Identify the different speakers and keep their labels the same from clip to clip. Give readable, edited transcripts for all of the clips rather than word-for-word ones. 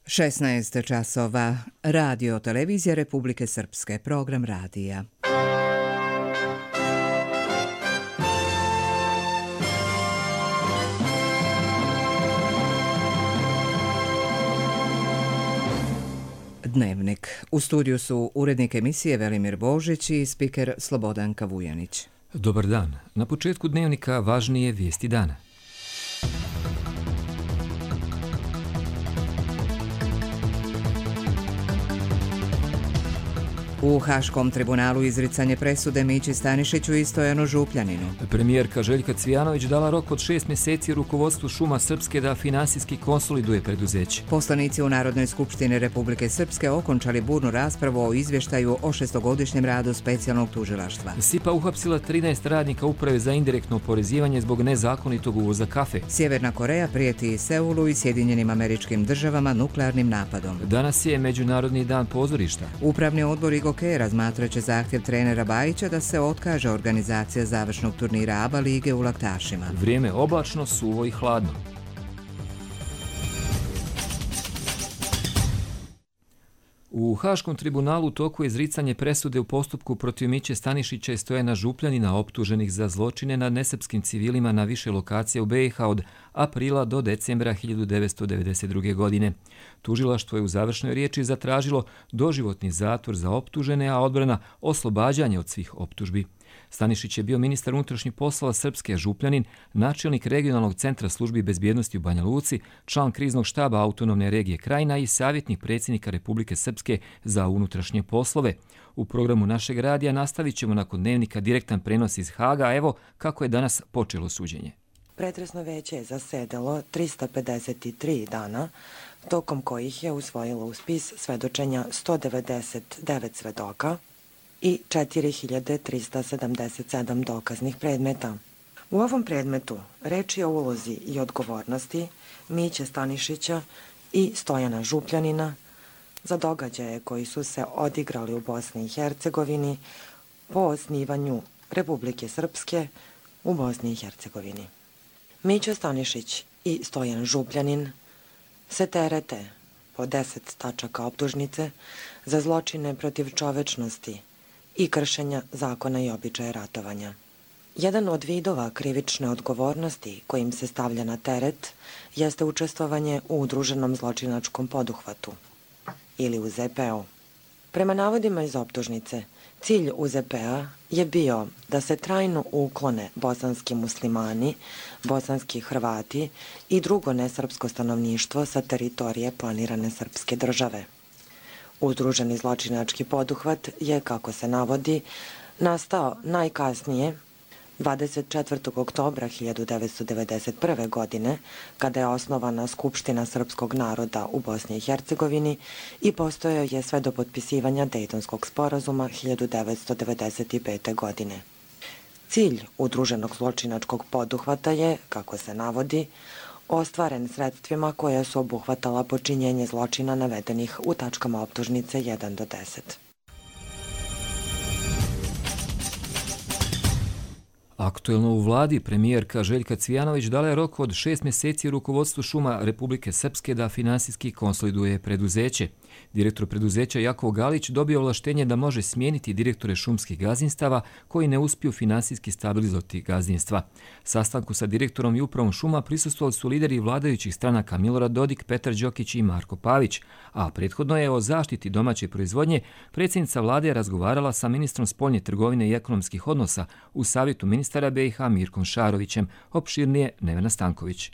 Speaker 1: 16 časova. Radio Televizija Republike Srpske. Program radija. Dnevnik. U studiju su urednik emisije Velimir Božić i spiker Slobodanka Vujanić.
Speaker 2: Dobar dan. Na početku dnevnika važnije vijesti dana.
Speaker 1: U Haškom tribunalu izricanje presude Mići Stanišiću i Stojanu Župljaninu.
Speaker 2: Premijerka Željka Cvijanović dala rok od 6 mjeseci rukovodstvu Šuma Srpske da finansijski konsoliduje preduzeće.
Speaker 1: Poslanici u Narodnoj skupštini Republike Srpske okončali burnu raspravu o izvještaju o šestogodišnjem radu specijalnog tužilaštva.
Speaker 2: SIPA uhapsila 13 radnika uprave za indirektno oporezivanje zbog nezakonitog uvoza kafe.
Speaker 1: Sjeverna Koreja prijeti Seulu i Sjedinjenim Američkim Državama nuklearnim napadom.
Speaker 2: Danas je Međunarodni dan pozorišta.
Speaker 1: Upravni odbor Igoke razmatrat će zahtjev trenera Bajića da se otkaže organizacija završnog turnira ABA lige u Laktašima.
Speaker 2: Vrijeme oblačno, suvo i hladno. U Haškom tribunalu u toku je izricanje presude u postupku protiv Miće Stanišića i Stojana Župljanina optuženih za zločine nad nesrpskim civilima na više lokacija u BiH od aprila do decembra 1992. godine. Tužilaštvo je u završnoj riječi zatražilo doživotni zatvor za optužene, a odbrana oslobađanje od svih optužbi. Stanišić je bio ministar unutrašnjih poslova Srpske, Župljanin, načelnik regionalnog centra službi bezbjednosti u Banja Luci, član kriznog štaba autonomne regije Krajina i savjetnik predsjednika Republike Srpske za unutrašnje poslove. U programu našeg radija nastavit ćemo nakon dnevnika direktan prenos iz Haga. Evo kako je danas počelo suđenje.
Speaker 3: Pretresno veće je zasedalo 353 dana, tokom kojih je usvojilo u spis svedočenja 199 svedoka i 4377 dokaznih predmeta. U ovom predmetu reč je o ulozi i odgovornosti Miće Stanišića i Stojana Župljanina za događaje koji su se odigrali u Bosni i Hercegovini po osnivanju Republike Srpske u Bosni i Hercegovini. Miće Stanišić i Stojan Župljanin se terete po 10 tačaka optužnice za zločine protiv čovečnosti i kršenja zakona i običaja ratovanja. Jedan od vidova krivične odgovornosti kojim se stavlja na teret jeste učestvovanje u udruženom zločinačkom poduhvatu ili UZPO. Prema navodima iz optužnice, cilj UZP-a je bio da se trajno uklone bosanski muslimani, bosanski Hrvati i drugo nesrpsko stanovništvo sa teritorije planirane srpske države. Udruženi zločinački poduhvat je, kako se navodi, nastao najkasnije 24. oktobra 1991. godine, kada je osnovana Skupština srpskog naroda u Bosni i Hercegovini i postojao je sve do potpisivanja Dejtonskog sporazuma 1995. godine. Cilj udruženog zločinačkog poduhvata je, kako se navodi, ostvaren sredstvima koja su obuhvatala počinjenje zločina navedenih u tačkama optužnice 1 do 10.
Speaker 2: Aktuelno u vladi premijerka Željka Cvijanović dala je rok od 6 mjeseci rukovodstvu Šuma Republike Srpske da finansijski konsoliduje preduzeće. Direktor preduzeća Jakov Galić dobio ovlaštenje da može smijeniti direktore šumskih gazdinstava koji ne uspiju finansijski stabilizovati gazdinstva. Sastanku sa direktorom i upravom šuma prisustvovali su lideri vladajućih stranaka Milorad Dodik, Petar Đokić i Marko Pavić, a prethodno je o zaštiti domaće proizvodnje predsjednica vlade razgovarala sa ministrom spoljne trgovine i ekonomskih odnosa u savjetu ministara BiH Mirkom Šarovićem. Opširnije Nevena Stanković.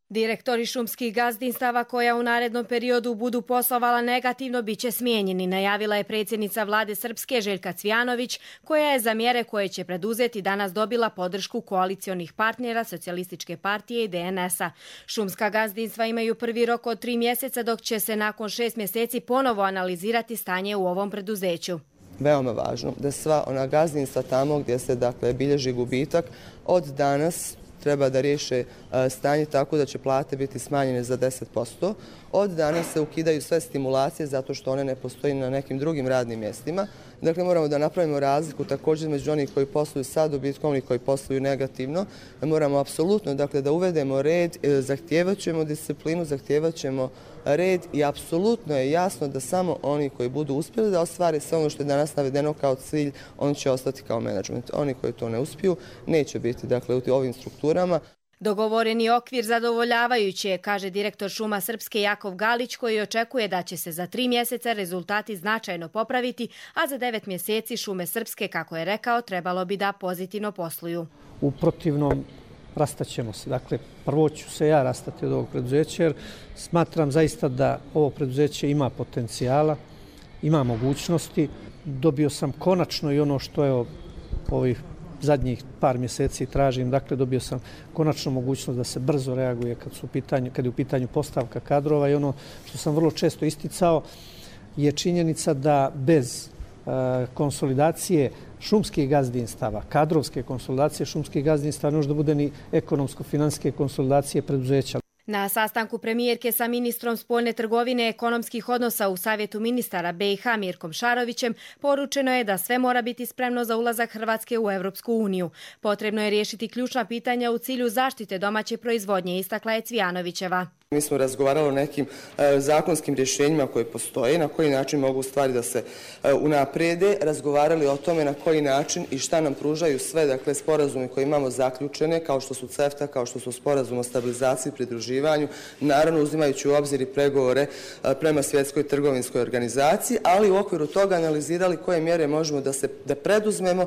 Speaker 4: Direktori šumskih gazdinstava koja u narednom periodu budu poslovala negativno bit će smijenjeni, najavila je predsjednica vlade Srpske Željka Cvijanović, koja je za mjere koje će preduzeti danas dobila podršku koalicionih partnera Socijalističke partije i DNS-a. Šumska gazdinstva imaju prvi rok od 3 mjeseca, dok će se nakon 6 mjeseci ponovo analizirati stanje u ovom preduzeću.
Speaker 5: Veoma važno da sva ona gazdinstva tamo gdje se bilježi gubitak od danas treba da riješe stanje tako da će plate biti smanjene za 10%. Od danas se ukidaju sve stimulacije zato što one ne postoji na nekim drugim radnim mjestima. Dakle, moramo da napravimo razliku također među onih koji posluju sa dobitkom, oni koji posluju negativno. Moramo apsolutno da uvedemo red, zahtijevat ćemo disciplinu, zahtijevat ćemo red i apsolutno je jasno da samo oni koji budu uspjeli da ostvare sve ono što je danas navedeno kao cilj, oni će ostati kao menadžment. Oni koji to ne uspiju neće biti u ovim strukturama.
Speaker 4: Dogovoreni okvir zadovoljavajući je, kaže direktor Šuma Srpske Jakov Galić, koji očekuje da će se za 3 mjeseca rezultati značajno popraviti, a za 9 mjeseci Šume Srpske, kako je rekao, trebalo bi da pozitivno posluju.
Speaker 6: U protivnom rastaćemo se. Dakle, prvo ću se ja rastati od ovog preduzeća jer smatram zaista da ovo preduzeće ima potencijala, ima mogućnosti. Dobio sam konačno i ono što je ovih zadnjih par mjeseci tražim, dakle dobio sam konačno mogućnost da se brzo reaguje kad je u pitanju postavka kadrova i ono što sam vrlo često isticao je činjenica da bez konsolidacije šumskih gazdinstava, kadrovske konsolidacije šumskih gazdinstava ne može da bude ni ekonomsko-financijske konsolidacije preduzeća.
Speaker 4: Na sastanku premijerke sa ministrom spoljne trgovine i ekonomskih odnosa u Savjetu ministara BiH Mirkom Šarovićem poručeno je da sve mora biti spremno za ulazak Hrvatske u Europsku uniju. Potrebno je riješiti ključna pitanja u cilju zaštite domaće proizvodnje, istakla je Cvijanovićeva.
Speaker 5: Mi smo razgovarali o nekim zakonskim rješenjima koje postoje, na koji način mogu stvari da se unaprijede, razgovarali o tome na koji način i šta nam pružaju sve, sporazumi koje imamo zaključene, kao što su CEFTA, kao što su sporazum o stabilizaciji i pridruživanju, naravno uzimajući u obzir i pregovore prema Svjetskoj trgovinskoj organizaciji, ali u okviru toga analizirali koje mjere možemo da preduzmemo.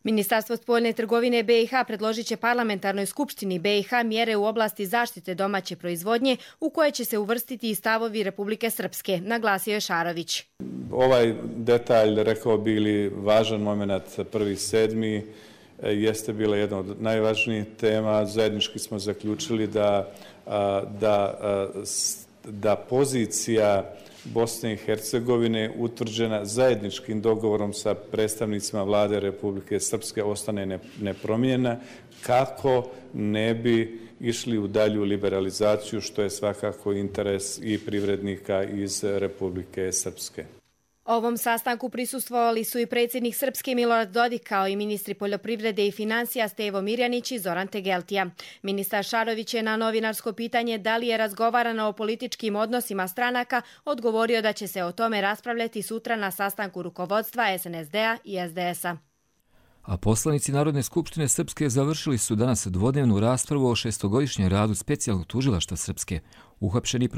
Speaker 4: Ministarstvo spoljne trgovine BiH predložit će parlamentarnoj skupštini BiH mjere u oblasti zaštite domaće proizvodnje u koje će se uvrstiti i stavovi Republike Srpske, naglasio je Šarović.
Speaker 7: Ovaj detalj, rekao bi ili važan moment 1.7. jeste bila jedna od najvažnijih tema. Zajednički smo zaključili da pozicija Bosne i Hercegovine utvrđena zajedničkim dogovorom sa predstavnicima vlade Republike Srpske ostane nepromijenjena kako ne bi išli u dalju liberalizaciju, što je svakako interes i privrednika iz Republike Srpske.
Speaker 4: Ovom sastanku prisustvovali su i predsjednik Srpske Milorad Dodik kao i ministri poljoprivrede i financija Stevo Mirjanić i Zoran Tegeltija. Ministar Šarović je na novinarsko pitanje da li je razgovarano o političkim odnosima stranaka odgovorio da će se o tome raspravljati sutra na sastanku rukovodstva SNSD-a i SDS-a.
Speaker 2: A poslanici Narodne skupštine Srpske završili su danas dvodnevnu raspravu o 6-godišnjem radu specijalnog tužilaštva Srpske. Uhapšeni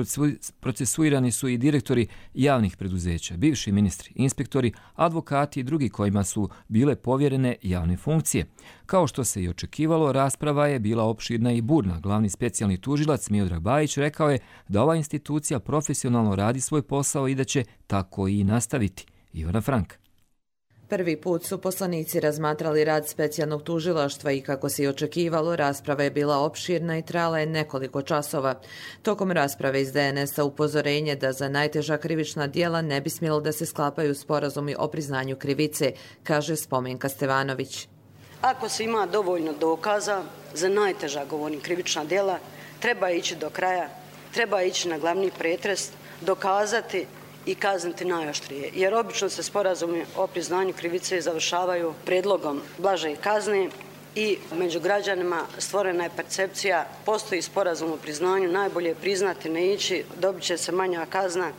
Speaker 2: procesuirani su i direktori javnih preduzeća, bivši ministri, inspektori, advokati i drugi kojima su bile povjerene javne funkcije. Kao što se i očekivalo, rasprava je bila opširna i burna. Glavni specijalni tužilac Miodrag Bajić rekao je da ova institucija profesionalno radi svoj posao i da će tako i nastaviti. Ivana Franka.
Speaker 8: Prvi put su poslanici razmatrali rad specijalnog tužilaštva i kako se i očekivalo, rasprava je bila opširna i trajala je nekoliko časova. Tokom rasprave iz DNS-a upozorenje da za najteža krivična djela ne bi smjelo da se sklapaju sporazumi o priznanju krivice, kaže Spomenka Stevanović.
Speaker 9: Ako se ima dovoljno dokaza za najteža, govorim, krivična djela, treba ići do kraja, treba ići na glavni pretres, dokazati i kazniti najoštrije, jer obično se sporazumi o priznanju krivice završavaju predlogom blaže kazne i među građanima stvorena je percepcija, postoji sporazum o priznanju, najbolje priznati, ne ići, dobit će se manja kazna.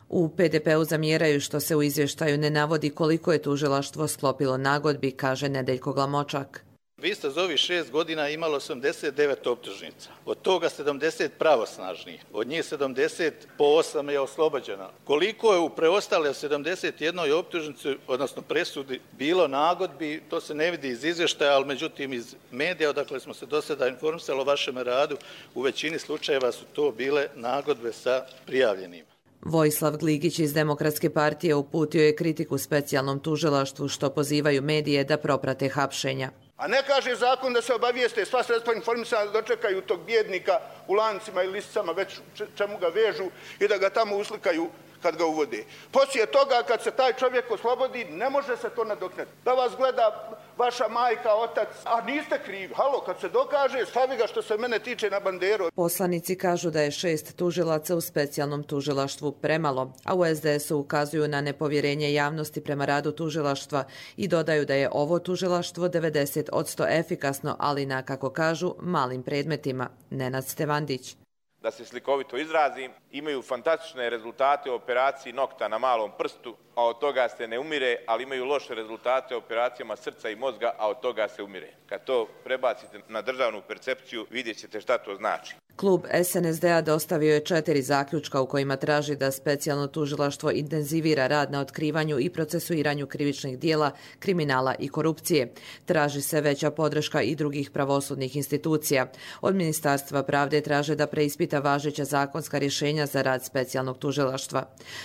Speaker 8: U PDP-u zamjeraju što se u izvještaju ne navodi koliko je tužilaštvo sklopilo nagodbi, kaže Nedeljko Glamočak.
Speaker 10: Vi ste za ovih 6 godina imali 89 optužnica, od toga 70 pravosnažnih, od njih 70 po 8 je oslobođeno. Koliko je u preostale 71 optužnici, odnosno presudi, bilo nagodbi, to se ne vidi iz izvještaja, ali međutim iz medija, odakle smo se do sada informisali o vašem radu, u većini slučajeva su to bile nagodbe sa prijavljenima.
Speaker 8: Vojislav Gligić iz Demokratske partije uputio je kritiku specijalnom tužilaštvu što pozivaju medije da proprate hapšenja.
Speaker 11: A ne kaže zakon da se obavijeste sva sredstva informisanja da dočekaju tog bjednika u lancima i lisicama, već čemu ga vežu i da ga tamo uslikaju kad ga uvode. Poslije toga, kad se taj čovjek oslobodi, ne može se to nadoknaditi. Da vas gleda vaša majka, otac, a niste krivi. Halo, kad se dokaže, stavi ga što se mene tiče na banderu.
Speaker 8: Poslanici kažu da je 6 tužilaca u specijalnom tužilaštvu premalo, a u SDS-u ukazuju na nepovjerenje javnosti prema radu tužilaštva i dodaju da je ovo tužilaštvo 90% efikasno, ali na, kako kažu, malim predmetima. Nenad Stevandić.
Speaker 12: Da se slikovito izrazim, imaju fantastične rezultate u operaciji nokta na malom prstu, a od toga se ne umire, ali imaju loše rezultate u operacijama srca i mozga, a od toga se umire. Kad to prebacite na državnu percepciju, vidjet ćete šta to znači.
Speaker 8: Klub SNSD-a dostavio je 4 zaključka u kojima traži da specijalno tužilaštvo intenzivira rad na otkrivanju i procesuiranju krivičnih dijela, kriminala i korupcije. Traži se veća podrška i drugih pravosudnih institucija. Od Ministarstva pravde traže da preispita važeća zakonska rješenja za rad specijalnog tužilaštva.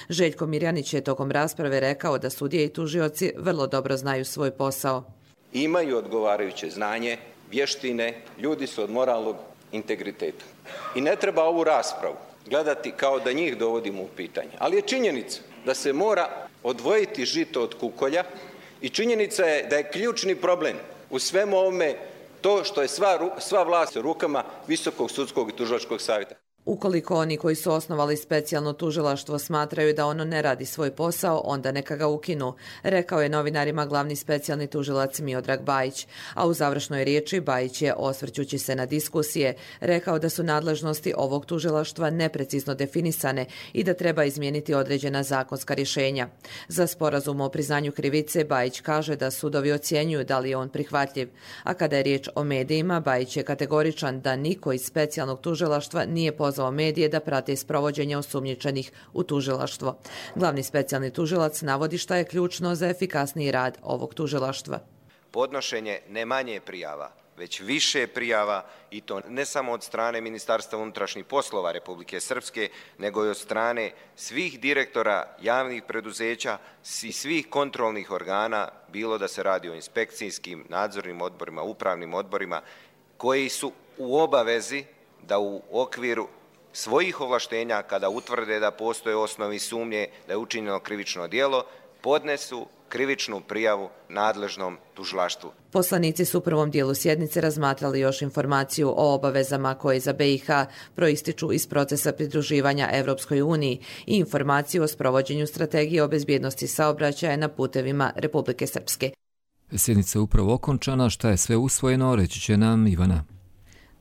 Speaker 8: Željko Mirjanić je tokom rasprave rekao da sudije i tužioci vrlo dobro znaju svoj posao.
Speaker 13: Imaju odgovarajuće znanje, vještine, ljudi su od moralnog integriteta. I ne treba ovu raspravu gledati kao da njih dovodimo u pitanje. Ali je činjenica da se mora odvojiti žito od kukolja i činjenica je da je ključni problem u svemu ovome to što je sva vlast u rukama Visokog sudskog i tužilačkog savjeta.
Speaker 8: Ukoliko oni koji su osnovali specijalno tužilaštvo smatraju da ono ne radi svoj posao, onda neka ga ukinu, rekao je novinarima glavni specijalni tužilac Miodrag Bajić. A u završnoj riječi Bajić je, osvrćući se na diskusije, rekao da su nadležnosti ovog tužilaštva neprecizno definisane i da treba izmijeniti određena zakonska rješenja. Za sporazum o priznanju krivice Bajić kaže da sudovi ocjenjuju da li je on prihvatljiv. A kada je riječ o medijima, Bajić je kategoričan da niko iz specijalnog tužilaštva nije pozvao medije da prate sprovođenje osumnjičenih u tužilaštvo. Glavni specijalni tužilac navodi šta je ključno za efikasniji rad ovog tužilaštva.
Speaker 13: Podnošenje ne manje prijava, već više prijava i to ne samo od strane Ministarstva unutrašnjih poslova Republike Srpske, nego i od strane svih direktora javnih preduzeća i svih kontrolnih organa, bilo da se radi o inspekcijskim, nadzornim odborima, upravnim odborima, koji su u obavezi da u okviru svojih ovlaštenja, kada utvrde da postoje osnovi sumnje da je učinjeno krivično djelo, podnesu krivičnu prijavu nadležnom tužilaštvu.
Speaker 8: Poslanici su u prvom dijelu sjednice razmatrali još informaciju o obavezama koje za BiH proističu iz procesa pridruživanja Evropskoj uniji i informaciju o sprovođenju strategije o bezbjednosti saobraćaja na putevima Republike Srpske.
Speaker 2: Sjednica je upravo okončana, šta je sve usvojeno, reći će nam Ivana.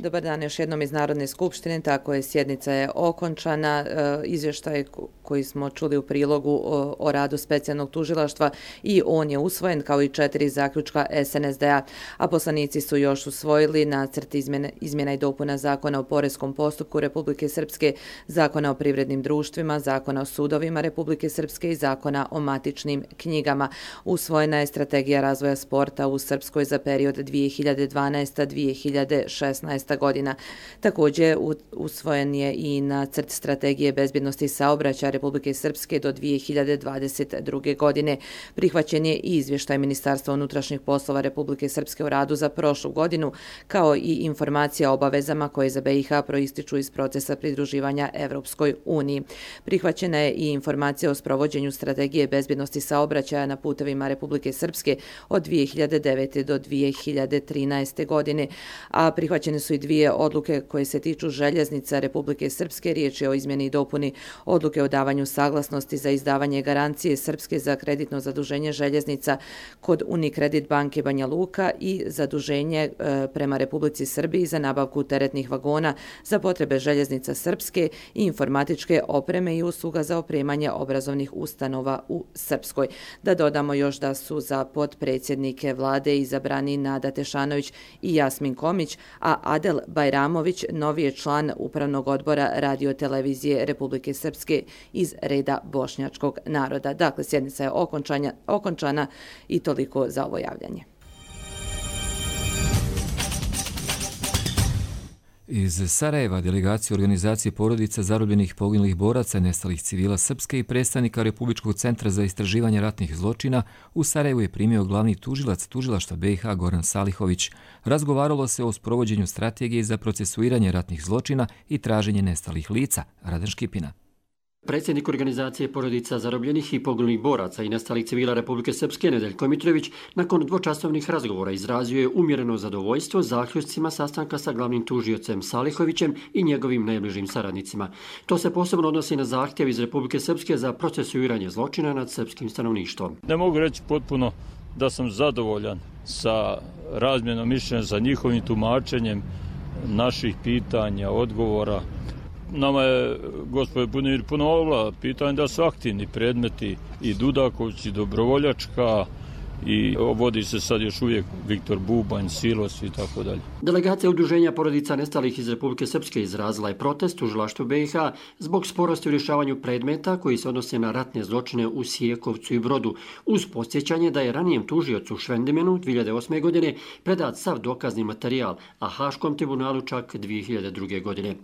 Speaker 8: Dobar dan još jednom iz Narodne skupštine, tako je, sjednica je okončana. Izvještaj koji smo čuli u prilogu o radu specijalnog tužilaštva i on je usvojen kao i 4 zaključka SNSD-a, a poslanici su još usvojili nacrt izmjena i dopuna Zakona o poreskom postupku Republike Srpske, Zakona o privrednim društvima, Zakona o sudovima Republike Srpske i Zakona o matičnim knjigama. Usvojena je strategija razvoja sporta u Srpskoj za period 2012-2016 godina. Također usvojen je i nacrt strategije bezbjednosti saobraćaja Republike Srpske do 2022. godine. Prihvaćen je i izvještaj Ministarstva unutrašnjih poslova Republike Srpske u radu za prošlu godinu, kao i informacija o obavezama koje za BiH proističu iz procesa pridruživanja Evropskoj uniji. Prihvaćena je i informacija o sprovođenju strategije bezbjednosti saobraćaja na putevima Republike Srpske od 2009. do 2013. godine, a prihvaćene su i 2 odluke koje se tiču željeznica Republike Srpske. Riječ je o izmjeni i dopuni odluke o davanju saglasnosti za izdavanje garancije Srpske za kreditno zaduženje željeznica kod Unikredit banke Banja Luka i zaduženje prema Republici Srbiji za nabavku teretnih vagona za potrebe željeznica Srpske i informatičke opreme i usluga za opremanje obrazovnih ustanova u Srpskoj. Da dodamo još da su za potpredsjednike vlade izabrani Nada Tešanović i Jasmin Komić, a Adel Bajramović novi je član Upravnog odbora Radio-televizije Republike Srpske iz reda bošnjačkog naroda. Dakle, sjednica je okončana i toliko za ovo javljanje.
Speaker 2: Iz Sarajeva delegacija organizacije porodica zarobljenih poginulih boraca i nestalih civila Srpske i predstavnika Republičkog centra za istraživanje ratnih zločina u Sarajevu je primio glavni tužilac tužilaštva BiH Goran Salihović. Razgovaralo se o sprovođenju strategije za procesuiranje ratnih zločina i traženje nestalih lica. Radan Škipina.
Speaker 14: Predsjednik organizacije porodica zarobljenih i poginulih boraca i nestalih civila Republike Srpske Nedeljko Mitrović nakon dvočasovnih razgovora izrazio je umjereno zadovoljstvo zaključcima sastanka sa glavnim tužiocem Salihovićem i njegovim najbližim saradnicima. To se posebno odnosi na zahtjev iz Republike Srpske za procesuiranje zločina nad srpskim stanovništvom.
Speaker 15: Ne mogu reći potpuno da sam zadovoljan sa razmjenom mišljenja, sa njihovim tumačenjem naših pitanja, odgovora. Nama je, gospodin Bunimir, ponovila pitanje da su aktivni predmeti i Dudaković i Dobrovoljačka i vodi se sad još uvijek Viktor Bubanj, Silos i tako dalje.
Speaker 14: Delegacija udruženja porodica nestalih iz Republike Srpske izrazila je protest tužilaštvu BiH zbog sporosti u rješavanju predmeta koji se odnose na ratne zločine u Sijekovcu i Brodu, uz podsjećanje da je ranijem tužiocu Švendimenu 2008. godine predat sav dokazni materijal, a Haškom tribunalu čak 2002. godine.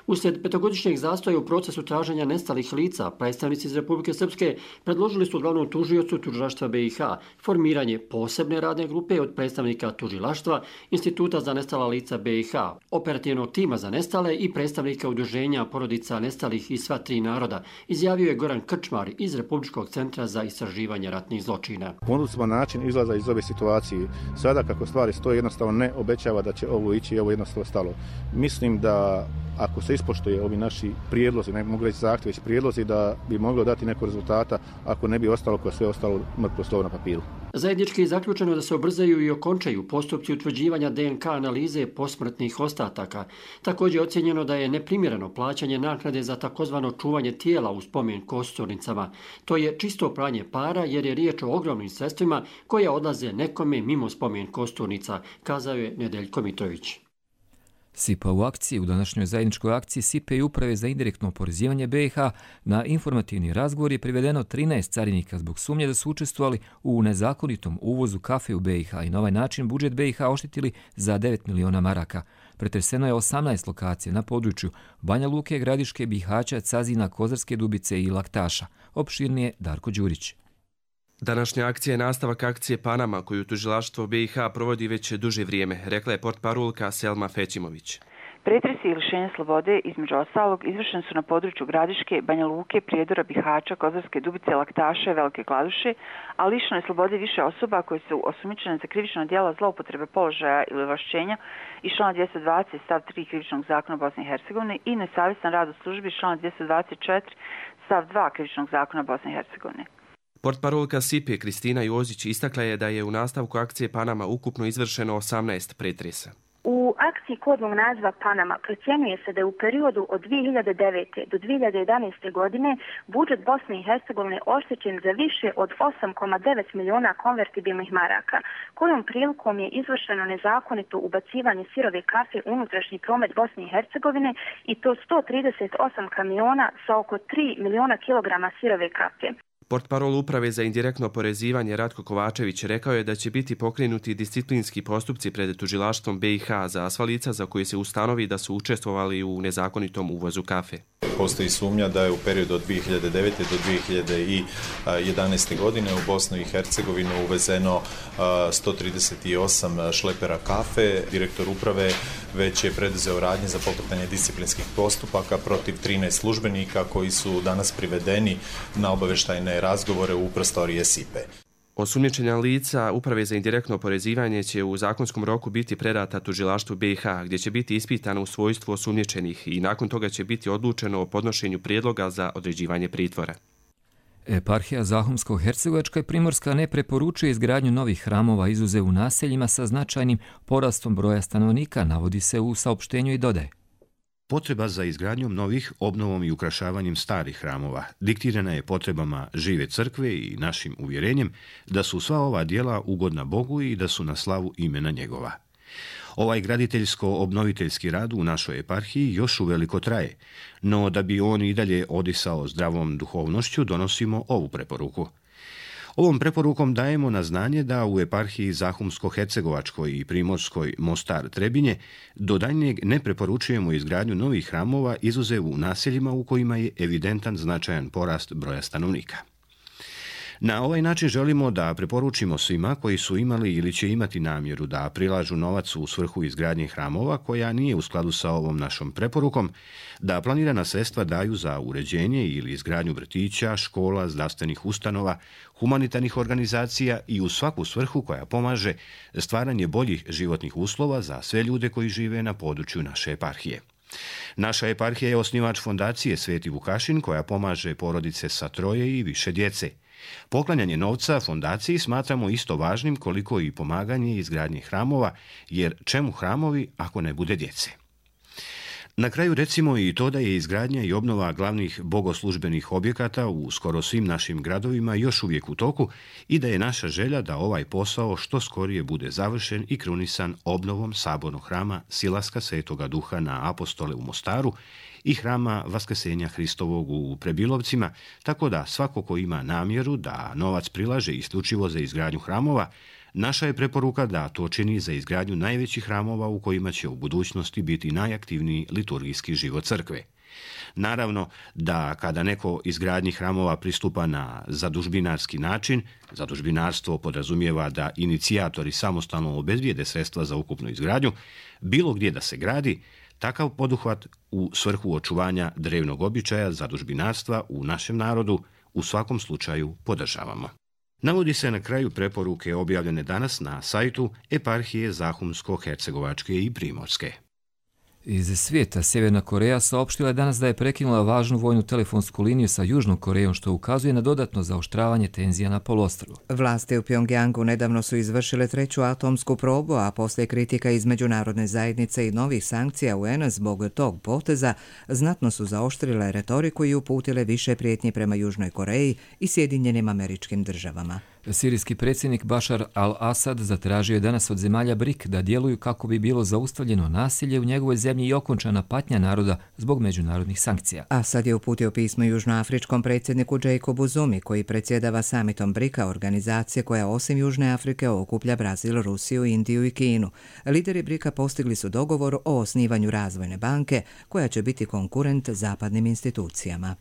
Speaker 14: Uslijed petogodišnjeg zastoja u procesu traženja nestalih lica, predstavnici iz Republike Srpske predložili su glavnom tužiocu tužilaštva BiH formiranje posebne radne grupe od predstavnika tužilaštva, Instituta za nestala lica BiH, operativnog tima za nestale i predstavnika udruženja porodica nestalih iz sva tri naroda, izjavio je Goran Krčmar iz Republičkog centra za istraživanje ratnih zločina.
Speaker 16: Ponudili smo način izlaza iz ove situacije. Sada kako stvari stoje jednostavno ne obećava da će ovo ići i ovo jednostavno stalo. Mislim da ako se ispoštuje ovi naši prijedlozi, ne mogu reći zahtjevi, već prijedlozi da bi moglo dati neko rezultata ako ne bi ostalo kao sve ostalo mrtvo slovo na papiru.
Speaker 14: Zajednički je zaključeno da se ubrzaju i okončaju postupci utvrđivanja DNK analize posmrtnih ostataka. Također je ocjenjeno da je neprimjereno plaćanje naknade za takozvano čuvanje tijela u spomen kosturnicama. To je čisto pranje para jer je riječ o ogromnim sredstvima koja odlaze nekome mimo spomen kosturnica, kazao je Nedeljko Mitrović.
Speaker 2: SIPA u akciji. U današnjoj zajedničkoj akciji SIPA i Uprave za indirektno oporezivanje BiH na informativni razgovor je privedeno 13 carinika zbog sumnje da su učestvovali u nezakonitom uvozu kafe u BiH i na ovaj način budžet BiH oštetili za 9 miliona maraka. Pretreseno je 18 lokacija na području Banja Luke, Gradiške, Bihaća, Cazina, Kozarske Dubice i Laktaša. Opširnije Darko Đurić.
Speaker 17: Današnja akcija je nastavak akcije Panama koju tužilaštvo BiH provodi već duže vrijeme, rekla je portparolka Selma Fećimović.
Speaker 18: Pretresi i lišenje slobode, između ostalog, izvršeni su na području Gradiške, Banja Luke, Prijedora, Bihaća, Kozarske Dubice, Laktaše, Velike Kladuše, a lišeno je slobode više osoba koje su osumnjičene za krivično djelo zloupotrebe položaja ili ovlašćenja iz člana 220 stav 3 krivičnog zakona Bosne i Hercegovine i nesavjestan rad u službi iz člana 224 stav 2 krivičnog zakona Bosne i Hercegovine.
Speaker 17: Portparolka SIPE Kristina Jozić istakla je da je u nastavku akcije Panama ukupno izvršeno 18 pretresa.
Speaker 19: U akciji kodnog naziva Panama procjenjuje se da je u periodu od 2009. do 2011. godine budžet Bosne i Hercegovine oštećen za više od 8,9 miliona konvertibilnih maraka, kojom prilikom je izvršeno nezakonito ubacivanje sirove kafe u unutrašnji promet Bosne i Hercegovine i to 138 kamiona sa oko 3 miliona kilograma sirove kafe.
Speaker 17: Portparol Uprave za indirektno oporezivanje Ratko Kovačević rekao je da će biti pokrenuti disciplinski postupci pred tužilaštvom BiH za sva lica za koje se ustanovi da su učestvovali u nezakonitom uvozu kafe.
Speaker 20: Postoji sumnja da je u periodu od 2009. do 2011. godine u Bosnu i Hercegovinu uvezeno 138 šlepera kafe. Direktor uprave već je preduzeo radnje za pokretanje disciplinskih postupaka protiv 13 službenika koji su danas privedeni na obavještajne razgovore u prostorije SIPE.
Speaker 17: Osumnjičena lica Uprave za indirektno oporezivanje će u zakonskom roku biti predata tužilaštvu BiH, gdje će biti ispitana u svojstvu osumnjičenih i nakon toga će biti odlučeno o podnošenju prijedloga za određivanje pritvora.
Speaker 2: Eparhija Zahumsko-Hercegovačka i Primorska ne preporučuje izgradnju novih hramova izuzev u naseljima sa značajnim porastom broja stanovnika, navodi se u saopštenju i dodaje.
Speaker 21: Potreba za izgradnjom novih, obnovom i ukrašavanjem starih hramova diktirana je potrebama žive crkve i našim uvjerenjem da su sva ova djela ugodna Bogu i da su na slavu imena njegova. Ovaj graditeljsko-obnoviteljski rad u našoj eparhiji još uveliko traje, no da bi on i dalje odisao zdravom duhovnošću donosimo ovu preporuku. Ovom preporukom dajemo na znanje da u eparhiji Zahumsko-Hercegovačkoj i Primorskoj Mostar-Trebinje do daljnjeg ne preporučujemo izgradnju novih hramova izuzev u naseljima u kojima je evidentan značajan porast broja stanovnika. Na ovaj način želimo da preporučimo svima koji su imali ili će imati namjeru da prilažu novac u svrhu izgradnje hramova koja nije u skladu sa ovom našom preporukom, da planirana sredstva daju za uređenje ili izgradnju vrtića, škola, zdravstvenih ustanova, humanitarnih organizacija i u svaku svrhu koja pomaže stvaranje boljih životnih uslova za sve ljude koji žive na području naše eparhije. Naša eparhija je osnivač fondacije Sveti Vukašin koja pomaže porodice sa 3 i više djece. Poklanjanje novca fondaciji smatramo isto važnim koliko i pomaganje izgradnje hramova, jer čemu hramovi ako ne bude djece? Na kraju recimo i to da je izgradnja i obnova glavnih bogoslužbenih objekata u skoro svim našim gradovima još uvijek u toku i da je naša želja da ovaj posao što skorije bude završen i krunisan obnovom sabornog hrama Silaska Svetoga Duha na Apostole u Mostaru i hrama Vaskrsenja Hristovog u Prebilovcima, tako da svako ko ima namjeru da novac prilaže isključivo za izgradnju hramova, naša je preporuka da to čini za izgradnju najvećih hramova u kojima će u budućnosti biti najaktivniji liturgijski život crkve. Naravno da kada neko izgradnji hramova pristupa na zadužbinarski način, zadužbinarstvo podrazumijeva da inicijatori samostalno obezbijede sredstva za ukupnu izgradnju, bilo gdje da se gradi, takav poduhvat u svrhu očuvanja drevnog običaja zadužbinarstva u našem narodu u svakom slučaju podržavamo. Navodi se na kraju preporuke objavljene danas na sajtu Eparhije Zahumsko-Hercegovačke i Primorske.
Speaker 2: Iz svijeta Sjeverna Koreja saopštila je danas da je prekinula važnu vojnu telefonsku liniju sa Južnom Korejom, što ukazuje na dodatno zaoštravanje tenzija na poluostrvu.
Speaker 1: Vlasti u Pjongjangu nedavno su izvršile 3. atomsku probu, a poslije kritika iz međunarodne zajednice i novih sankcija UN zbog tog poteza znatno su zaoštrile retoriku i uputile više prijetnji prema Južnoj Koreji i Sjedinjenim Američkim Državama.
Speaker 2: Sirijski predsjednik Bašar al-Assad zatražio je danas od zemalja BRIC da djeluju kako bi bilo zaustavljeno nasilje u njegovoj zemlji i okončana patnja naroda zbog međunarodnih sankcija.
Speaker 1: Assad je uputio pismo južnoafričkom predsjedniku Jacobu Zumi, koji predsjedava samitom BRIC-a, organizacije koja osim Južne Afrike okuplja Brazil, Rusiju, Indiju i Kinu. Lideri BRIC-a postigli su dogovor o osnivanju razvojne banke koja će biti konkurent zapadnim institucijama.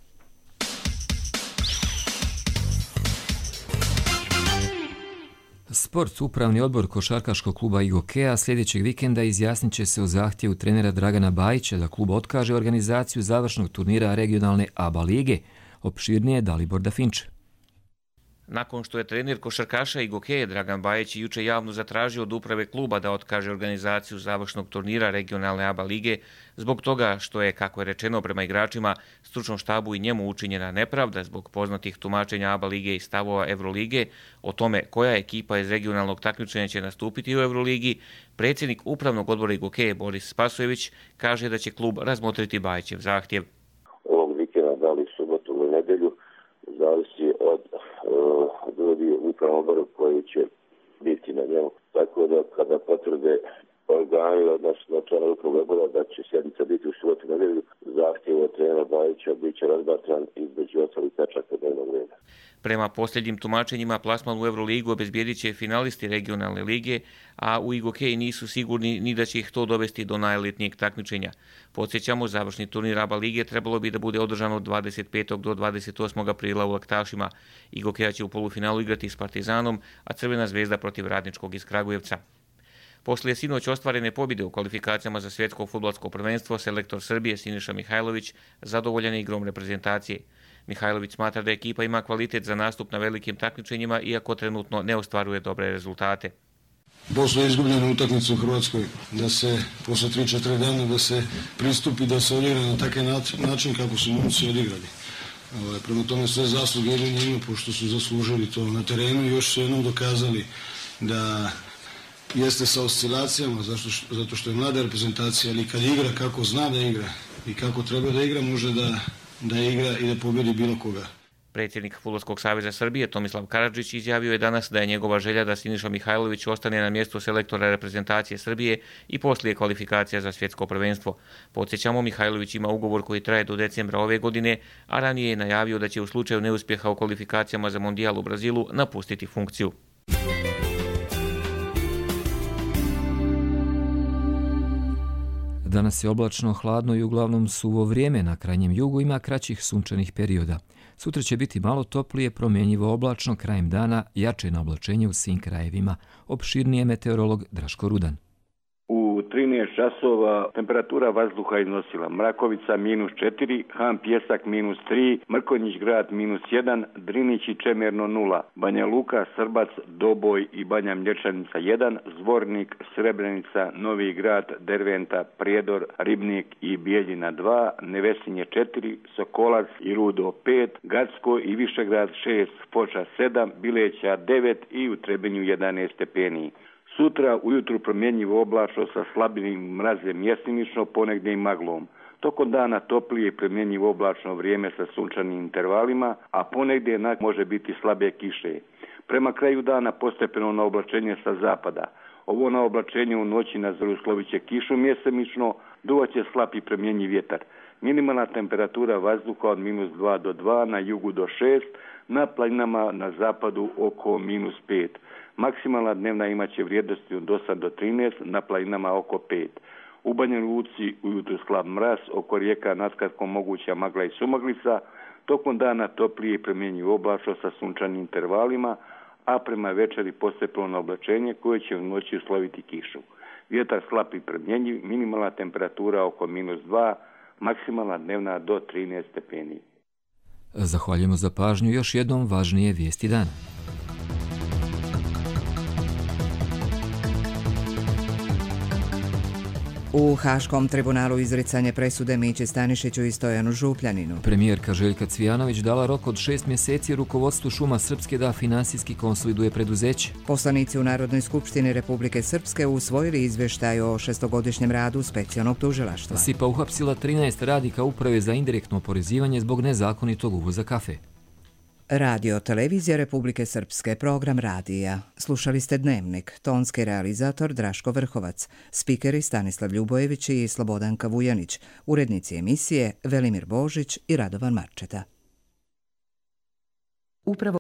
Speaker 2: Sport, upravni odbor košarkaškog kluba IGOK-a sljedećeg vikenda izjasnit će se o zahtjevu trenera Dragana Bajića da klub otkaže organizaciju završnog turnira regionalne ABA lige. Opširnije Dalibor Dafinč.
Speaker 22: Nakon što je trener košarkaša IGOK-a Dragan Bajić juče javno zatražio od uprave kluba da otkaže organizaciju završnog turnira regionalne ABA lige zbog toga što je, kako je rečeno prema igračima, stručnom štabu i njemu učinjena nepravda zbog poznatih tumačenja ABA lige i stavova Evrolige o tome koja ekipa iz regionalnog takmičenja će nastupiti u Evroligi, predsjednik upravnog odbora IGOK-a Boris Spasojević kaže da će klub razmotriti Bajićev zahtjev.
Speaker 23: Ovog vikenda, da li subotu ili nedelju, zavisi od ljudi u upravnom odboru koji će biti na njemu. Tako da kada potvrde organi, odnosno članovi upravnog odbora da će sjednica biti u subotu nedelju, zahtjev od trenera Bajića bit će razmatran između ostalih tačaka dnevnog reda.
Speaker 22: Prema posljednjim tumačenjima plasman u Euroligu obezbijedit će finalisti regionalne lige, a u IGOK-i nisu sigurni ni da će ih to dovesti do najelitnijeg takmičenja. Podsjećamo, završni turnir ABA lige trebalo bi da bude održan od 25. do 28. aprila u Laktašima. IGOK-a će u polufinalu igrati s Partizanom, a Crvena zvezda protiv Radničkog iz Kragujevca. Poslije sinoć ostvarene pobjede u kvalifikacijama za svjetsko fudbalsko prvenstvo, selektor Srbije Siniša Mihajlović zadovoljan je igrom reprezentacije. Mihajlović smatra da ekipa ima kvalitet za nastup na velikim takmičenjima, iako trenutno ne ostvaruje dobre rezultate.
Speaker 24: Posle izgubljene utakmice u Hrvatskoj, da se posle 3-4 dana da se pristupi, da se odigra na takav način kako su momci odigrali. Prema tome sve zasluge idu njima, pošto su zaslužili to na terenu i još su jednom dokazali da jeste sa oscilacijama, zato što je mlada reprezentacija, ali kad igra kako zna da igra i kako treba da igra, može da igra i da pobjedi bilo koga.
Speaker 22: Predsjednik Fudbalskog saveza Srbije Tomislav Karadžić izjavio je danas da je njegova želja da Siniša Mihajlović ostane na mjestu selektora reprezentacije Srbije i poslije kvalifikacija za svjetsko prvenstvo. Podsjećamo, Mihajlović ima ugovor koji traje do decembra ove godine, a ranije je najavio da će u slučaju neuspjeha u kvalifikacijama za mondijal u Brazilu napustiti funkciju.
Speaker 2: Danas je oblačno, hladno i uglavnom suvo vrijeme. Na krajnjem jugu ima kraćih sunčanih perioda. Sutra će biti malo toplije, promjenjivo oblačno, krajem dana jače na oblačenje u svim krajevima. Opširnije meteorolog Draško Rudan.
Speaker 3: U 13 časova temperatura vazduha iznosila Mrakovica -4, Han Pjesak -3, Mrkonjić grad -1, Drinić i Čemerno 0, Banja Luka, Srbac, Doboj i Banja Mlječanica 1, Zvornik, Srebrenica, Novi grad, Derventa, Prijedor, Ribnik i Bijeljina 2, Nevesinje 4, Sokolac i Rudo 5, Gacko i Višegrad 6, Foča 7, Bileća 9 i u Trebinju 11 stepeni. Sutra ujutru promjenjivo oblačno sa slabinim mrazem mjesimično, ponegdje i maglom. Tokom dana toplije i promjenjivo oblačno vrijeme sa sunčanim intervalima, a ponegdje može biti slabe kiše. Prema kraju dana postepeno na oblačenje sa zapada. Ovo na oblačenje u noći na zoru slovit će kišu mjesemično, duvaće slab i promjenjiv vjetar. Minimalna temperatura vazduha od -2 do 2, na jugu do 6, na planinama na zapadu oko -5. Maksimalna dnevna imaće vrijednosti od 8 do 13, na planinama oko 5. U Banja Luci ujutru slab mraz, oko rijeka naskratkom moguća magla i sumaglica, tokom dana toplije i promjenjiv oblačno sa sunčanim intervalima, a prema večeri postepeno oblačenje koje će u noći usloviti kišu. Vjetar slab i promjenjiv, minimalna temperatura oko -2, maksimalna dnevna do 13 stepeni.
Speaker 2: Zahvaljujemo za pažnju. Još jednom važnije vijesti dana.
Speaker 1: U Haškom tribunalu izricanje presude Mići Stanišiću i Stojanu Župljaninu.
Speaker 2: Premijerka Željka Cvijanović dala rok od 6 mjeseci rukovodstvu Šuma Srpske da finansijski konsoliduje preduzeće.
Speaker 1: Poslanici u Narodnoj skupštini Republike Srpske usvojili izvještaj o 6-godišnjem radu specijalnog tužilaštva.
Speaker 2: SIPA uhapsila 13 radnika Uprave za indirektno oporezivanje zbog nezakonitog uvoza kafe.
Speaker 1: Radio Televizija Republike Srpske, program radija. Slušali ste Dnevnik, tonski realizator Draško Vrhovac, spikeri Stanislav Ljubojević i Slobodanka Vujanić, urednici emisije Velimir Božić i Radovan Marčeta.